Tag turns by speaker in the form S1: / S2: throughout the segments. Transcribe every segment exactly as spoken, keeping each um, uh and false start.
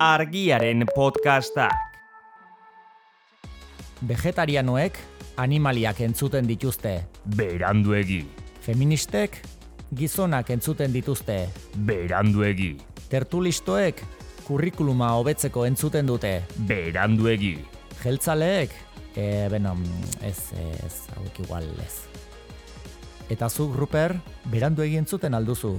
S1: Argiaren podcastak.
S2: Vegetarianoek animaliak entzuten dituzte.
S1: Beranduegi.
S2: Feministek gizonak entzuten dituzte.
S1: Beranduegi.
S2: Tertulistoek kurrikuluma hobetzeko entzuten dute.
S1: Beranduegi.
S2: Jeltzaleek, e, beno, ez, ez, hauek igual ez. Eta zuk, Ruper, beranduegi entzuten alduzu.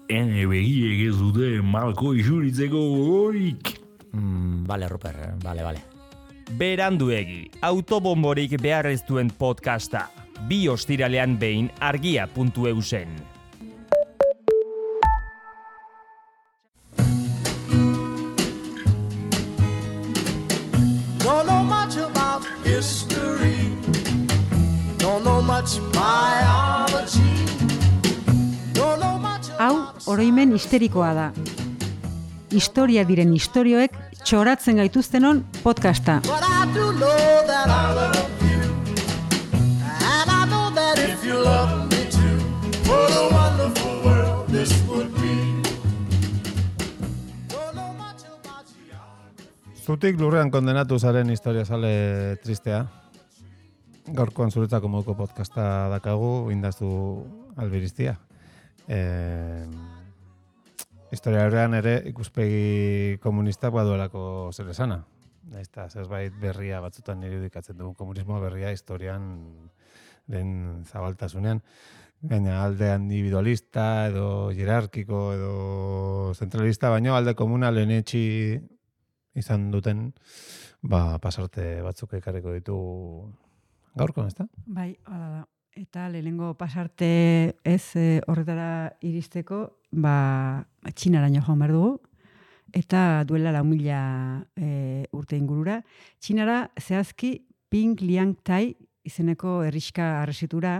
S3: Ene begiek ez dute malko isuritzeko gogorik.
S2: Mm, bale, Ruper, bale, bale.
S1: Beranduegi, autobomborik behar ez duen podcasta. Bi ostiralean behin argia puntu eusen.
S4: Don't know much about history. Don't know much biology. Don't know much
S5: Hau, oroimen histerikoa da. Historia diren istorioek txoratzen gaituztenon podcasta.
S4: But I do know that I love you. And I know that if you love me too, what a wonderful world this would be. Don't know much about geography.
S6: Zutik lurrean kondenatu zaren historia sale tristea. Gaurkoan zuretzako moduko podcasta dakagu, indazu albiriztia. Eh, historia horrean ere ikuspegi komunistak baduelako zer esana. Eta zerbait berria batzutan irudikatzen dugun komunismo berria historian den zabaltasunean. Baina alde individualista edo jerarkiko edo zentralista, baino alde komuna lehenetxi izan duten ba, pasarte batzuk ekarriko ditu gaurkoan, ezta?
S5: Bai, hala da. Eta lehenengo pasarte ez e, horretara iristeko, ba, Txinaraino joan behar dugu, eta duela lau mila e, urte ingurura. Txinara zehazki Ping Liang Tai izeneko herrixka arresitura,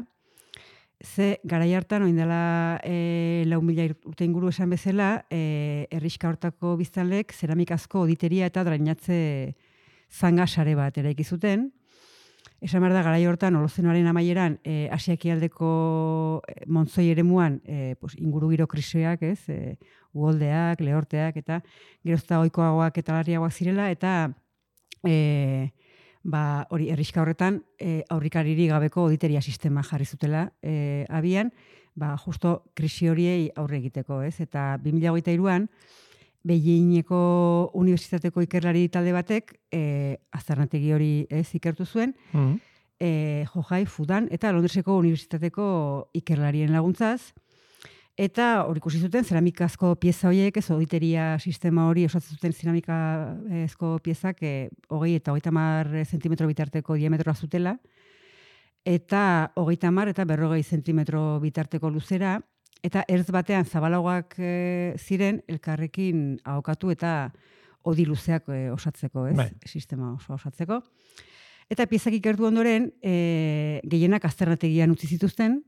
S5: ze garai hartan oin dela e, lau mila urte inguru esan bezala, e, herrixka hortako biztanlek zeramikazko oditeria eta drainatze zanga sare bat eraiki zuten. Esan behar da, garai hortan, Holozenoaren amaieran, e, Asiakialdeko montzoi eremuan, e, pues, inguru giro kriseak, ez, e, uholdeak, lehorteak, eta gerozta ohikoagoak eta larriagoak zirela, eta e, ba, hori herrixka horretan, e, aurrikariri gabeko auditeria sistema jarri zutela e, abian, ba, justo krisi horiei aurre egiteko, ez, eta bi mila hogeita hiruan, Beijingeko unibertsitateko ikerlari talde batek e, aztarnategi hori ez ikertu zuen, mm-hmm. e, Johai, Fudan eta Londreseko unibertsitateko ikerlarien laguntzaz, eta hori ikusi zuten zeramikazko pieza horiek, ez auditeria sistema hori osatzen zuten zeramikazko piezak e, hogei eta hogeita hamar zentimetro bitarteko diametroa zutela, eta hogeita hamar eta berrogei zentimetro bitarteko luzera, eta ertz batean zabalagoak e, ziren elkarrekin ahokatu eta odi luzeak e, osatzeko, ez? Bai. Sistema oso osatzeko. Eta piezak ikertu ondoren, e, gehienak azternategian utzi zituzten,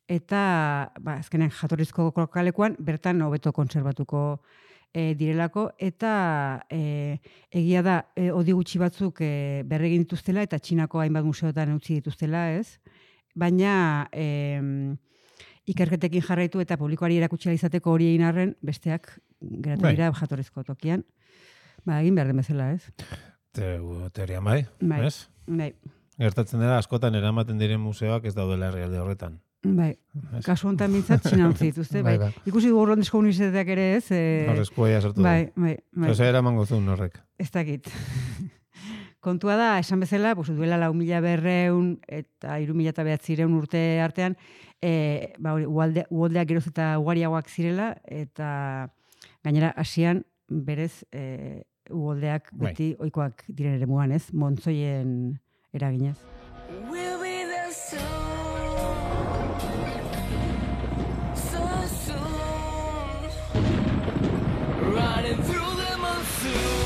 S5: eta ba, azkenean jatorrizko kokalekuan bertan hobeto kontserbatuko e, direlako, eta e, egia da e, odi gutxi batzuk e, berregin dituztela, eta Txinako hainbat museotan utzi dituztela, ez? Baina E, ikerketekin jarraitu eta publikoari erakutsi izateko hori egin arren, besteak geratu dira bai. Jatorrizko tokian. Ba, egin behar den bezala, ez?
S6: Te, teorian bai,
S5: bai.
S6: ez?
S5: Bai.
S6: Gertatzen dira, askotan eramaten diren museoak ez daudela herrialde horretan.
S5: Bai. Ez? Kasu honetan bintzat Txina utzi dituzte. Bai. Bai, bai. Ikusi dugu Londresko unibertsitateak ere ez. E...
S6: Horrezko eia sartu
S5: bai, bai, bai.
S6: Zer eraman gozun horrek.
S5: Ez dakit. Kontua da, esan bezala, pues, duela lau mila berreun eta hiru mila eta behatzireun urte artean, e, ba, uholde, uholdeak geroz eta ugariagoak zirela, eta gainera Asian berez e, uholdeak beti bai. Ohikoak diren eremuan, ez? Montzoien eraginez.
S7: We'll be there soon, so soon, running through the monsoon.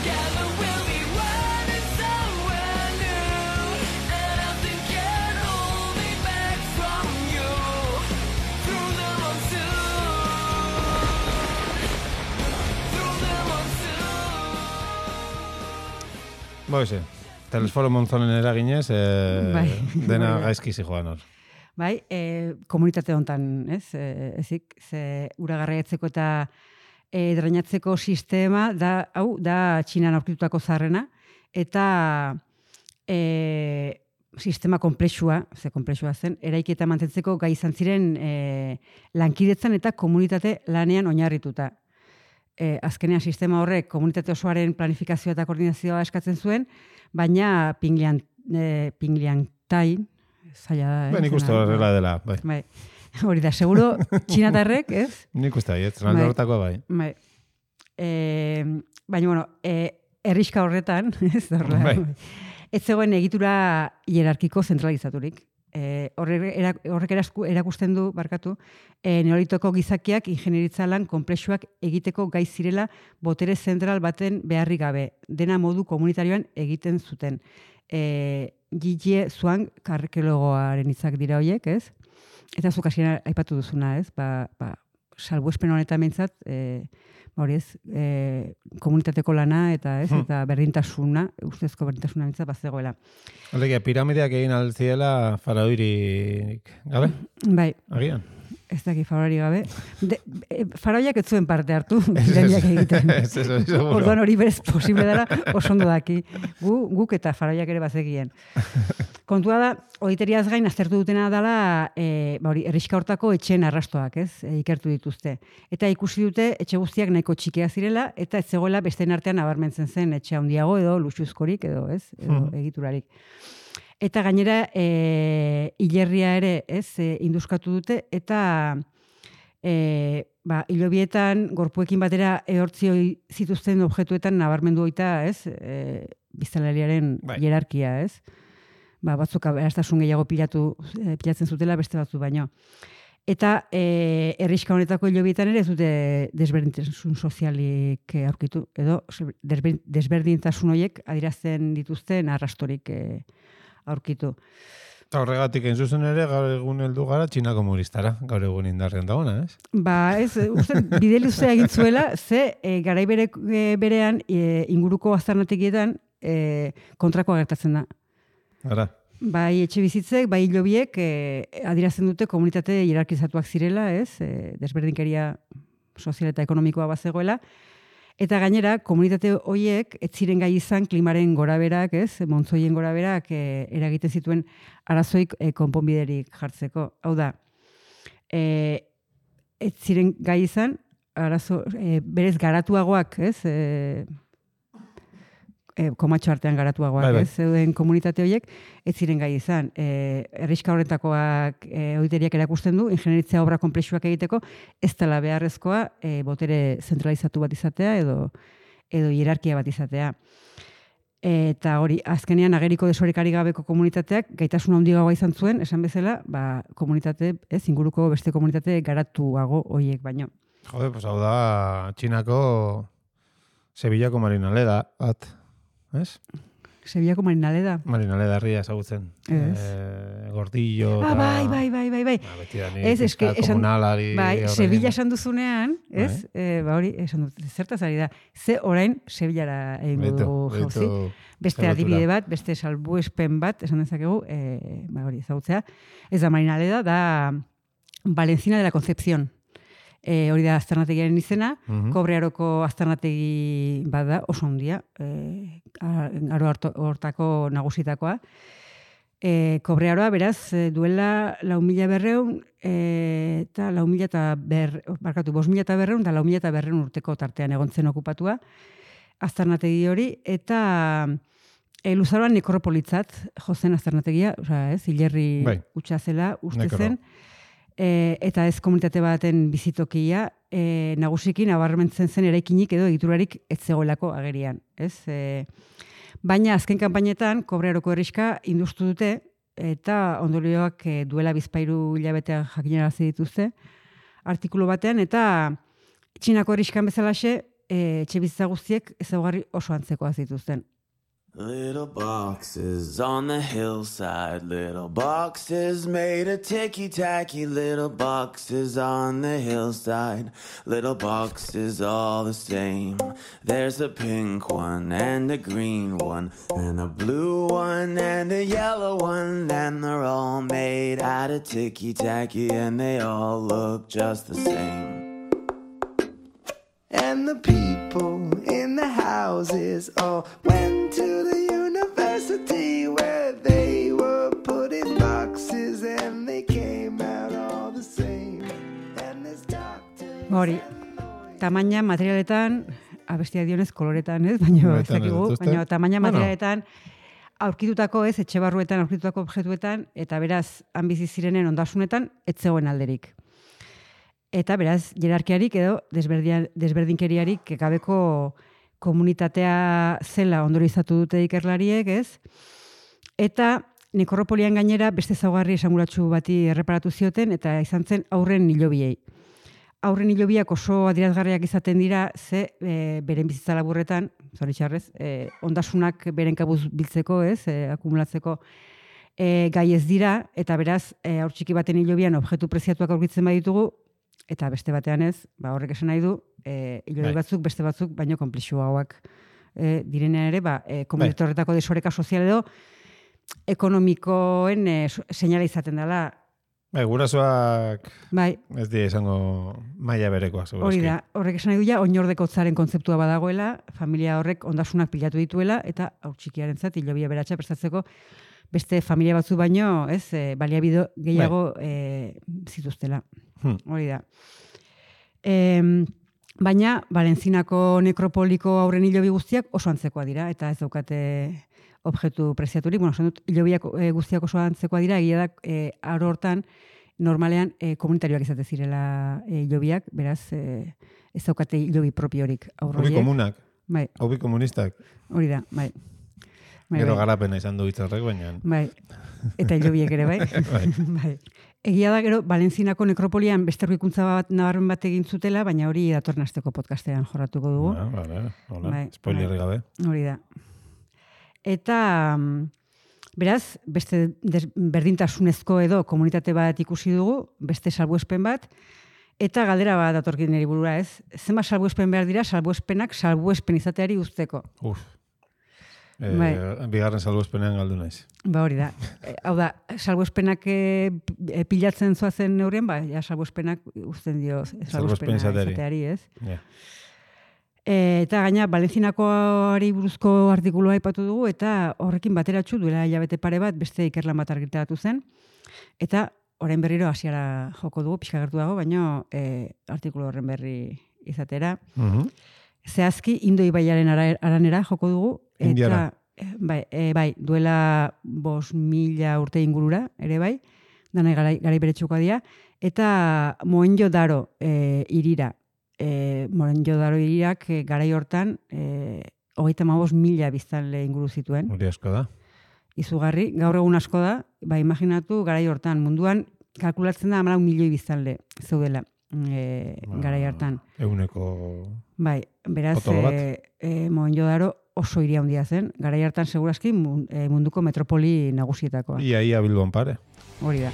S7: Together we'll be running somewhere new.
S6: Boize, telesforo Monzonen eraginez, eh,
S5: Bai.
S6: dena
S5: Bai.
S6: gaizki zijoan hor.
S5: Bai, e, komunitate hontan, ez? E, ezik, ze ura garraiatzeko eta e, drainatzeko sistema, da, hau, da Txinan aurkitutako zarrena, eta e, sistema komplexua, ze komplexua zen, eraiki eta mantentzeko gai izan ziren e, lankidetzan eta komunitate lanean oinarrituta. E, azkenean sistema horrek komunitate osoaren planifikazioa eta koordinazioa eskatzen zuen, baina Pinglian, e, Pingliantain, zaila da, eh?
S6: Ben, nik uste
S5: Zena,
S6: horrela dela, bai.
S5: Bai. Hori da, seguro, txinatarrek, ez?
S6: Nik uste bai, ez, txinalde
S5: Bai.
S6: hortakoa bai.
S5: Bai. E, baina, bueno, e, herriska horretan, ez horrela,
S6: Bai.
S5: ez zegoen egitura hierarkiko zentralizaturik. E, horrek era- horrek erasku- erakusten du, barkatu, e, neolitoko gizakiak ingenieritza lan konplexuak egiteko gai zirela botere zentral baten beharrik gabe, dena modu komunitarioan egiten zuten. E, Jie Zhuang arkeologoaren hitzak dira horiek, ez? Eta zuk hasieran aipatu duzuna, ez? Ba, ba, salbuespen honetan behintzat, e, ba hori ez, e, komunitateko lana eta ez,
S6: Hmm.
S5: eta berdintasuna, ustezko berdintasuna behintzat bazegoela.
S6: Alegia, piramideak egin altziela faraoirik gabe,
S5: Bai,
S6: agian.
S5: ez daki faraori gabe. De, e, faraoiak ez zuen parte hartu, piramideak egiten.
S6: Ez, ez, ez, seguro.
S5: Orduan hori berez posible dela oso ondo daki. Gu, guk eta faraoiak ere bazekien. Kontua da, horiteriaz gain aztertu dutena dela, e, ba hori, herrixka hortako etxeen arrastoak, ez? E, ikertu dituzte. Eta ikusi dute etxe guztiak nahiko txikia zirela, eta ez zegoela besteen artean nabarmentzen zen etxe handiago edo luxuzkorik edo, ez? Edo
S6: Mhm.
S5: egiturarik. Eta gainera, e, hilerria ere, ez, e, induskatu dute, eta e, ba, hilobietan, gorpuekin batera ehortzio zituzten objektuetan nabarmendu oita, ez, e, biztanleriaren
S6: Bai.
S5: hierarkia, ez? Ba, batzuk aberastasun gehiago pilatu, e, pilatzen zutela beste batzu baino. Eta e, herrixka honetako hilobietan ere ez dute desberdintasun sozialik e, aurkitu, edo desber- desberdintasun horiek adierazten dituzten arrastorik e, aurkitu.
S6: Eta horregatik egin zuzen ere, gaur egun heldu gara Txina komunistara, gaur egun indarrean dagoena, ez?
S5: Ba, ez, uste, bide luzea egin zuela, ze e, garai bere, e, berean e, inguruko aztarnategietan e, kontrakoa gertatzen da.
S6: Gara.
S5: Bai etxe bizitzek, bai hilobiek e, adierazten dute komunitate hierarkizatuak zirela, ez? E, desberdinkeria sozial eta ekonomikoa bazegoela. Eta gainera, komunitate horiek ez ziren gai izan klimaren goraberak, ez? Montzoien goraberak e, eragiten zituen arazoik e, konponbiderik jartzeko. Hau da, e, ez ziren gai izan arazo e, berez garatuagoak, ez? E, e, komatxo artean garatuagoak,
S6: Bai, bai.
S5: ez? Zeuden komunitate horiek ez ziren gai izan. E, herrixka horretakoak e, oiteriak erakusten du, ingenieritzia obra konplexuak egiteko, ez dela beharrezkoa e, botere zentralizatu bat izatea edo edo hierarkia bat izatea. Eta hori, azkenean ageriko desorekari gabeko komunitateak gaitasun handiagoa izan zuen, esan bezala, ba, komunitate, ez, inguruko beste komunitate garatuago horiek baino.
S6: Jode, pues hau da Txinako Sevillako Marinaleda bat, ez?
S5: Sevillako Marinaleda.
S6: Marinaleda herria ezagutzen.
S5: Ez.
S6: Eh, gordillo.
S5: Ah,
S6: eta-
S5: bai, bai, bai, bai, bai.
S6: Ba, beti da ni
S5: Ez, eske,
S6: fiskal
S5: esan,
S6: komunalari
S5: bai,
S6: horrekin.
S5: Sevilla esan duzunean, ez? E, ba hori, esan dut, zertaz ari da. Ze orain Sevillara egingo
S6: Beitu,
S5: dugu jauzi.
S6: beitu
S5: Beste
S6: lotura.
S5: adibide bat, beste salbuespen bat, esan dezakegu, e, ba hori, ezagutzea. Ez da Marinaleda, da Valencina de la Concepción. E, hori da aztarnategiaren izena,
S6: Mhm.
S5: Kobrearoko aztarnategi bada, oso handia, e, aro harto- hortako nagusitakoa. E, Kobrearoa, beraz, e, duela lau mila berreun, e, eta lau mila eta ber, barkatu, bos mila eta berreun, eta lau mila eta berreun urteko tartean egon zen okupatua, aztarnategi hori, eta e, luzaroan nekropolitzat jozen aztarnategia, osea, ez, hilerri
S6: Bai.
S5: utxa zela, uste
S6: Nekro.
S5: zen, e, eta ez komunitate baten bizitokia, e, nagusikin abarmentzen zen eraikinik edo egiturarik ez zegoelako agerian, ez? E, baina azken kanpainetan Kobrearoko herrixka industu dute eta ondorioak e, duela bizpairu hilabetean jakinarazi dituzte artikulu batean, eta Txinako herrixkan bezalaxe e, etxe bizitza guztiek ezaugarri oso antzekoa zituzten.
S8: Little boxes on the hillside, little boxes made of ticky-tacky, little boxes on the hillside, little boxes all the same. There's a pink one and a green one and a blue one and a yellow one, and they're all made out of ticky-tacky and they all look just the same. And the people in the houses all went to the university where they were put in boxes and they came out all the same. And this doctor...
S5: Hori, tamaina materialetan, abestia dionez koloretan, ez? Baina ez dakigu, baina tamaina materialetan aurkitutako, ez, etxe barruetan aurkitutako objektuetan, eta beraz, han bizi zirenen ondasunetan, ez zegoen alderik. Eta beraz, jerarkiarik edo desberdinkeriarik gabeko komunitatea zela ondorizatu dute ikerlariek, ez? Eta nekropolian gainera beste zaugarri esanguratsu bati erreparatu zioten, eta izan zen aurren hilobiei. Aurren hilobiak oso adierazgarriak izaten dira, ze e, beren bizitza laburretan, zoritxarrez, e, ondasunak beren kabuz biltzeko, ez, e, akumulatzeko e, gai ez dira, eta beraz, e, aur txiki baten hilobian objektu preziatuak aurkitzen baditugu, eta beste batean ez, ba, horrek esan nahi du, e, hilobi batzuk, beste batzuk, baino konplexuagoak e, direnean ere, ba, e, komunitate horretako desoreka sozial edo, ekonomikoen e, seinale izaten dela.
S6: Bai, gurasoak
S5: bai.
S6: Ez dira izango maila berekoa, segurazki.
S5: Hori da, horrek esan nahi du ja, oinordekotzaren kontzeptua badagoela, familia horrek ondasunak pilatu dituela, eta haur txikiarentzat hilobia beratxa prestatzeko beste familia batzu baino, ez, e, baliabide gehiago e, zituztela. Hmm. Hori da. E, baina, Valentzinako nekropoliko aurren hilobi guztiak oso antzekoa dira, eta ez daukate objektu preziaturik. Bueno, esan dut, hilobiak e, guztiak oso antzekoa dira, egia da, e, aro hortan, normalean e, komunitarioak izate zirela e, hilobiak, beraz, e, ez daukate hilobi propiorik aurroiek.
S6: Hobi komunak,
S5: bai.
S6: Hobi komunistak.
S5: Hori da, bai. bai
S6: Gero
S5: bai.
S6: garapena izan du hitzarrek, baina.
S5: Bai, eta hilobiek ere, bai.
S6: bai.
S5: bai. Egia da, gero, Valentzinako nekropolian beste aurkikuntza bat nabarmen bat egin zutela, baina hori datorren asteko podcastean jorratuko dugu.
S6: Ah, vale, hola,
S5: bai,
S6: spoilerri gabe.
S5: Hori da. Eta, beraz, beste berdintasunezko edo komunitate bat ikusi dugu, beste salbuespen bat, eta galdera bat datorkin niri burura, ez? Zenbat salbuespen behar dira, salbuespenak salbuespen izateari uzteko.
S6: Uf. E,
S5: bai.
S6: Bigarren salbuespenean galdu naiz.
S5: Ba hori da. E, hau da, salbuespenak e, pilatzen zoazen neurien, ba, ja salbuespenak uzten dio salbuespena izateari, ez?
S6: Yeah.
S5: E, eta gaina, Valentinakoari buruzko artikulua aipatu dugu, eta horrekin bateratxu duela hilabete pare bat, beste ikerlan bat argitaratu zen, eta orain berriro hasiera joko dugu, pixka gertu dago, baina e, artikulu horren berri izatera.
S6: Uh-huh.
S5: Zehazki, Indo ibaiaren aranera joko dugu. Eta,
S6: Indiara.
S5: Bai, e, bai, duela bos mila urte ingurura, ere bai, dana garai, garai beretsukoa dira. Eta Mohenjo-daro e, irira. E, Mohenjo-daro irirak e, garai hortan e, hogeita hamabost mila biztanle inguru zituen.
S6: Hori asko da.
S5: Izugarri, gaur egun asko da, ba, imaginatu garai hortan, munduan kalkulatzen da hamalau milioi biztanle zeudela. E, garai hartan.
S6: Eguneko...
S5: Bai, beraz, e, e, Mohenjo-daro oso hiria handia zen. Garai hartan segurazki munduko metropoli nagusietakoa.
S6: Ia, ia Bilbon pare.
S5: Hori da.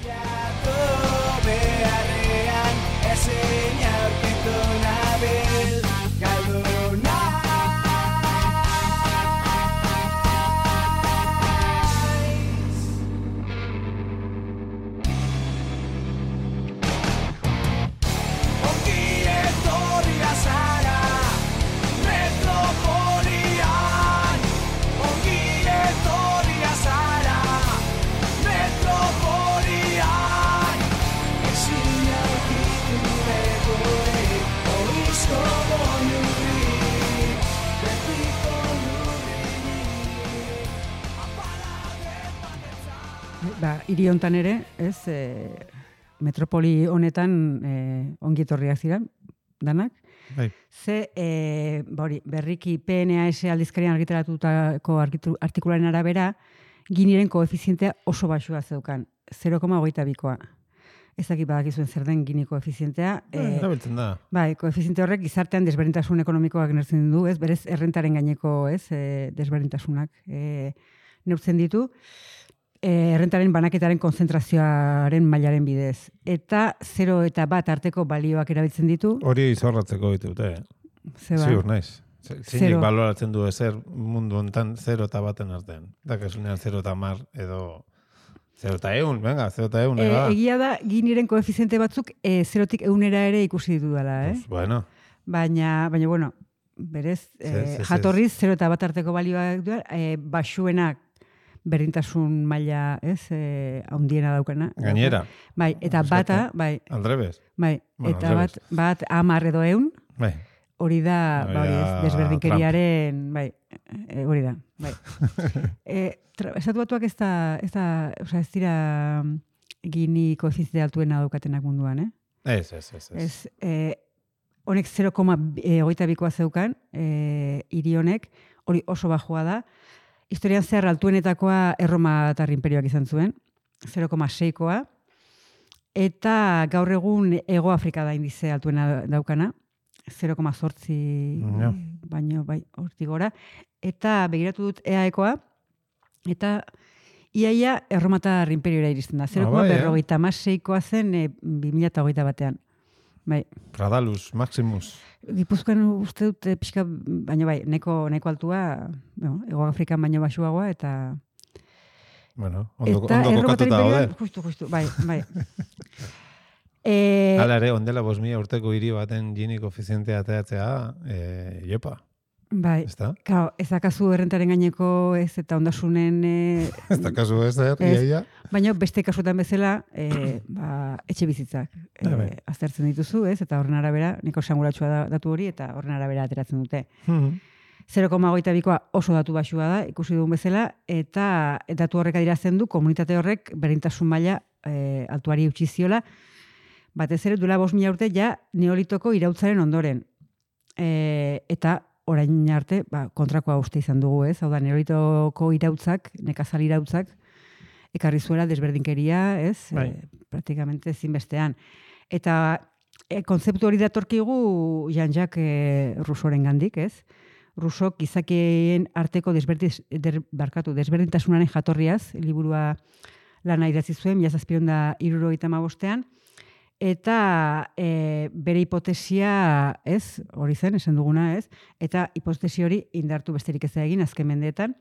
S5: Ba, hiri hontan ere, ez, e, metropoli honetan e, ongi etorriak ziren, danak.
S6: Bai.
S5: Ze, e, ba hori, berriki P N A S aldizkarian argitaratutako artikularen arabera, Giniren koefizientea oso baxua zeukan, zero koma hogeita bikoa. ez dakit badakizuen zer den Gini koefizientea.
S6: Eh, erabiltzen da.
S5: Bai, koefiziente horrek gizartean desberdintasun ekonomikoak neurtzen du, ez? Berez errentaren gaineko, ez, e, desberdintasunak e, neurtzen ditu. E, errentaren banaketaren konzentrazioaren mailaren bidez. Eta zero eta bat arteko balioak erabiltzen ditu.
S6: Hori izorratzeko ditute.
S5: Zeba.
S6: Ziur naiz. Zeinik
S5: Zero.
S6: baloratzen du ezer mundu hontan zero eta baten artean. Dakasunean zero eta mar edo zero eta eun, venga, zero eta eun.
S5: E,
S6: ega.
S5: egia da, Giniren koefiziente batzuk e, zerotik eunera ere ikusi ditu dela, eh?
S6: Pues, bueno,
S5: Baina, baina bueno, berez,
S6: Zez,
S5: e,
S6: zez,
S5: jatorriz zero eta bat arteko balioak du, e, basuenak berdintasun maila, ez, e, handiena daukana.
S6: gainera,
S5: Bai, eta
S6: Osea,
S5: bata, bai,
S6: aldrebes.
S5: bai,
S6: Bueno,
S5: eta bat,
S6: aldrebes.
S5: bat hamar edo eun,
S6: Bai,
S5: hori da,
S6: Hori
S5: ba, hori ez,
S6: da
S5: desberdinkeriaren, bai, e, hori da, bai. e, tra, Estatu Batuak ez da, ez da, osea, ez dira Gini koefiziente altuena daukatenak munduan, eh?
S6: ez, ez, ez. ez.
S5: Ez, e, honek zero koma hogeita bikoa zeukan, e, hiri honek, hori oso bajua da. Historian zehar altuenetakoa Erromatar imperioak izan zuen, zero koma seikoa, eta gaur egun Hego Afrika da indize altuena daukana, zero koma zortzi
S6: Ja.
S5: baino bai hortik gora, eta begiratu dut E A ekoa, eta iaia Erromatar imperiora iristen da, zero koma
S6: bai, eh?
S5: berrogeita hamaseikoa zen e, bi mila hogeita batean. Bai,
S6: Pradalus, Maximus.
S5: Gipuzkoan uste dut eh, pixka, baina bai, neko, neko altua, bueno, Hego Afrikan baino basuagoa, eta...
S6: Bueno, ondo,
S5: eta
S6: ondo
S5: Erromatar
S6: kokatuta
S5: imperioan-
S6: daude.
S5: Justu, justu, bai, bai. e,
S6: Hala ere, ondela bost mila urteko hiri baten Gini koefizientea ateratzea, eh, jopa,
S5: bai,
S6: ez da?
S5: Kao, ez dakazu errentaren gaineko ez eta ondasunen, e,
S6: Ez da kasu ezer,
S5: Ez.
S6: iaia.
S5: baina beste kasutan bezala, e, ba, etxe bizitzak
S6: Bai, bai.
S5: e, aztertzen dituzu, ez, eta horren arabera, niko esanguratsua da datu hori, eta horren arabera ateratzen dute.
S6: Mhm.
S5: zero koma hogeita bikoa oso datu basua da, ikusi dugun bezala, eta datu horrek adierazten du komunitate horrek berdintasun maila e, altuari utzi ziola, batez ere duela bost mila urte ja neolitoko irautzaren ondoren. E, eta orain arte ba, kontrakoa uste izan dugu, ez? Hau da, neolitoko irautzak, nekazal irautzak, ekarri zuela desberdinkeria, ez?
S6: Bai.
S5: E, praktikamente ezinbestean. Eta e, kontzeptu hori datorkigu Jean-Jacques e, Rousseauren gandik, ez? Rousseau gizakien arteko desberdiz, der, barkatu, desberdintasunaren jatorriaz, liburua lana idatzi zuen, mila zazpiehun eta hirurogeita hamabostean, eta e, bere hipotesia, ez, hori zen, esan duguna, ez, eta hipotesi hori indartu besterik ez da egin azken mendeetan,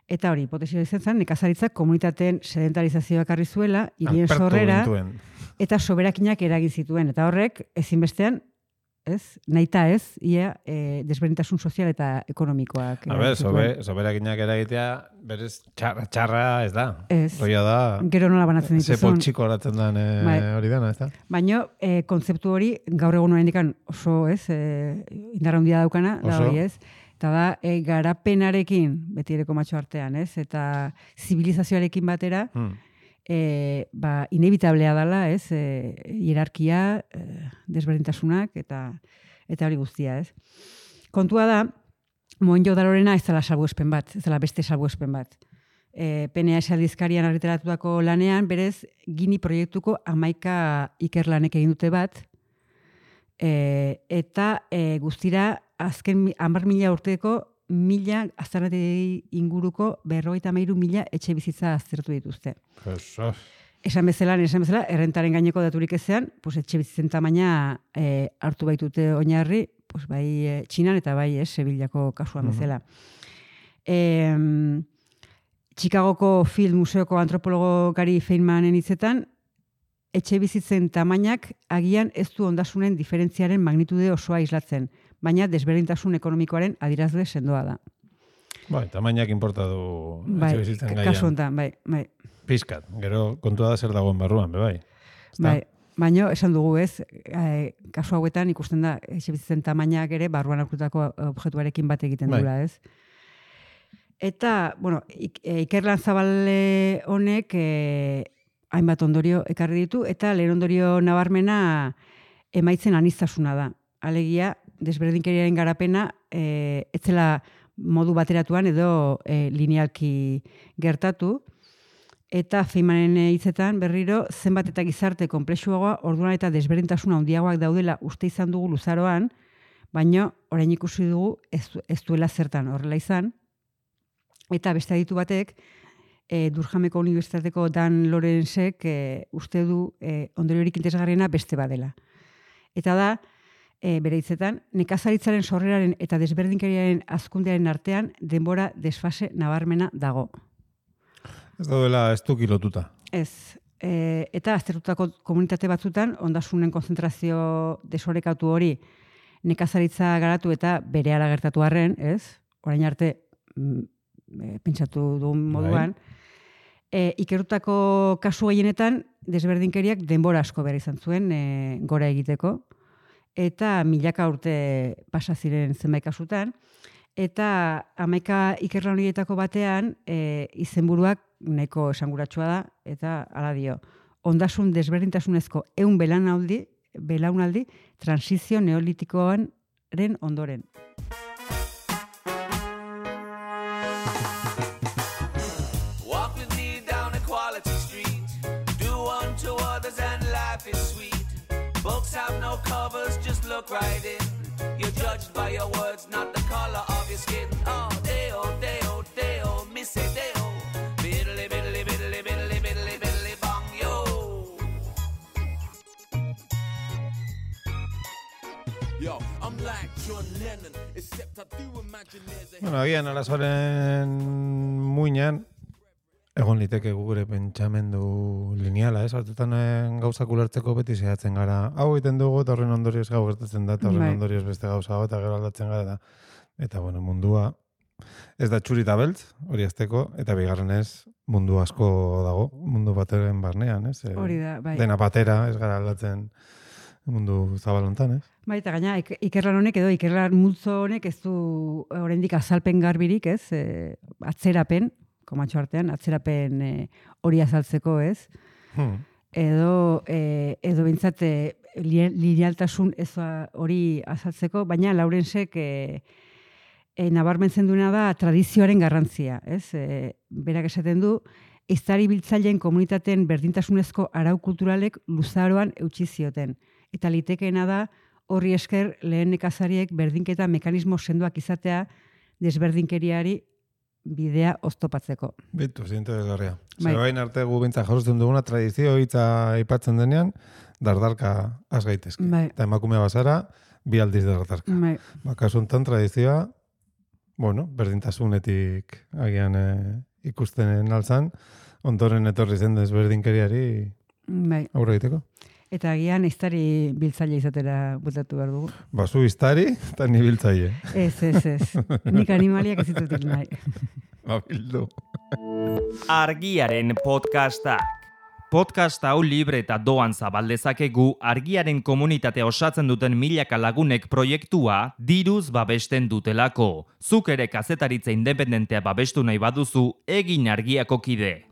S5: eta hori, hipotesi hori zen zen, nekazaritzak komunitateen sedentarizazioa ekarri zuela, hirien
S6: Alpertu
S5: sorrera,
S6: gintuen.
S5: eta soberakinak eragin zituen, eta horrek, ezinbestean, ez, nahita ez, ia e, desberdintasun sozial eta ekonomikoak.
S6: A
S5: eragin
S6: ber,
S5: zituen.
S6: sobe, soberakinak eragitea, berez txarra, txarra ez da.
S5: Ez.
S6: Roia da,
S5: Gero nola banatzen
S6: ze
S5: dituzun.
S6: poltsiko horatzen den eh,
S5: Bai.
S6: hori dana, ez da?
S5: Baina e, kontzeptu hori gaur egun oraindikan oso, ez, e, indarra handia daukana, da
S6: Oso.
S5: hori, ez? Eta da, e, garapenarekin, beti ere komatxo artean, ez? Eta zibilizazioarekin batera,
S6: Hmm.
S5: e, ba, inevitablea dela, ez? E, hierarkia, e, desberdintasunak, eta eta hori guztia, ez? Kontua da, Mohenjo-Darorena ez dela salbuespen bat, ez dela beste salbuespen bat. E, P N A S aldizkarian argitaratutako lanean, berez, Gini proiektuko hamaika ikerlanek egin dute bat, e, eta e, guztira azken mi- hamar mila urteko mila aztarnategi inguruko berrogeita hamairu mila etxe bizitza aztertu dituzte.
S6: Eso.
S5: Esan bezala, esan bezala, errentaren gaineko daturik ezean, pues, etxe bizitzen tamaina e, hartu baitute oinarri, pues, bai e, Txinan eta bai e, Sevillako kasuan
S6: Mhm.
S5: bezala. E, Chicagoko Field Museoko antropologo Gary Feynmanen hitzetan, etxe bizitzen tamainak agian ez du ondasunen diferentziaren magnitude osoa islatzen, baina desberdintasun ekonomikoaren adierazle sendoa da.
S6: Bai, tamainak importa du
S5: Bai,
S6: etxe bizitzen
S5: kasu
S6: gaian.
S5: honetan, bai, bai.
S6: Pizkat, gero kontua da zer dagoen barruan, be bai. Ezta?
S5: Bai, baina esan dugu ez, e, kasu hauetan ikusten da etxe bizitzen tamainak ere barruan aurkutako objektuarekin bat egiten
S6: Bai.
S5: dula, ez? Eta, bueno, ik, e, ikerlan zabale honek e, hainbat ondorio ekarri ditu, eta lehen ondorio nabarmena emaitzen aniztasuna da. Alegia, desberdinkeriaren garapena e, etzela modu bateratuan edo e, linealki gertatu, Eta Feynmanen hitzetan berriro zenbat eta gizarte konplexuagoa, orduan eta desberdintasun handiagoak daudela uste izan dugu luzaroan, baina orain ikusi dugu ez, ez duela zertan horrela izan. Eta beste aditu batek, e, Durhameko Unibertsitateko Dan Lorenzek e, uste du e, ondoriorik interesgarriena beste badela. Eta da, e, bere hitzetan, nekazaritzaren sorreraren eta desberdinkeriaren hazkundearen artean denbora desfase nabarmena dago.
S6: Ez daudela ez duki lotuta.
S5: Ez. E, eta aztertutako komunitate batzutan, ondasunen konzentrazio desorekatu hori nekazaritza garatu eta berehala gertatu arren, ez? Orain arte, mm, e, pentsatu duen moduan, e, ikerutako kasu gehienetan desberdinkeriak denbora asko behar izan zuen e, gora egiteko, eta milaka urte pasa ziren zenbait kasutan, eta hamaika ikerlan horietako batean e, izenburuak nahiko esanguratsua da, eta hala dio, ondasun desberdintasunezko ehun belaunaldi, belaunaldi transizio neolitikoaren ondoren.
S7: Walk with me down Equality Street. Do unto others and life is sweet. Books have no covers, just look right in. You're judged by your words, not the color of your skin. Oh, deo, deo, deo, missy deo. Biddly, biddly, biddly, biddly, biddly, biddly, bong, yo.
S9: Yo, I'm like John Lennon, except I do imagine there's a...
S6: Bueno, agian arazoaren muinean, egon liteke gure pentsamendu lineala, ez? Batzutan gauzak ulertzeko beti zehatzen gara. Hau egiten dugu, eta horren ondorioz gau gertatzen da, eta horren
S5: Bai.
S6: ondorioz beste gauza bat, eta gero aldatzen gara. Eta, eta bueno, mundua ez da txuri eta beltz, hori azteko, eta bigarrenez mundu asko dago, mundu bateren barnean, ez? E,
S5: Hori da, bai.
S6: Dena batera, ez gara aldatzen mundu zabalontan, ez?
S5: Bai, eta gaina, ik- ikerlan honek edo ikerlan multzo honek ez du oraindik azalpen garbirik, ez? E, atzerapen, komatxo artean, atzerapen e, hori azaltzeko, ez?
S6: Hmm.
S5: Edo, e, edo bintzat e, li- linealtasun ez hori azaltzeko, baina Laurensek e, e, nabarmentzen duena da tradizioaren garrantzia, ez? E, berak esaten du, ehiztari biltzaileen komunitateen berdintasunezko arau kulturalek luzaroan eutsi zioten. Eta litekeena da, horri esker lehen nekazariek berdinketa mekanismo sendoak izatea desberdinkeriari bidea oztopatzeko.
S6: Bitu, zintu desgarria.
S5: Bai.
S6: Zerbain arte gu bintza jasotzen duguna tradizio hitza aipatzen denean, dardarka az gaitezke.
S5: Bai.
S6: Eta emakume bazara, bi aldiz dardarka.
S5: Bai.
S6: Ba, kasu honetan tradizioa, bueno, berdintasunetik agian eh, ikusten altzan, ondoren etorri zen desberdinkeriari
S5: Bai.
S6: aurre egiteko.
S5: Eta agian ehiztari biltzaile izatera butatu behar dugu.
S6: Bazu iztari, eta ni biltzaile.
S5: Ez, ez, ez. Nik animaliak ez ditut hil nahi.
S6: Ba, bildu.
S1: Argiaren podcastak. Podcast hau libre eta doan zabaldezakegu argiaren komunitatea osatzen duten milaka lagunek proiektua diruz babesten dutelako. Zuk ere kazetaritza independentea babestu nahi baduzu, egin argiako kide.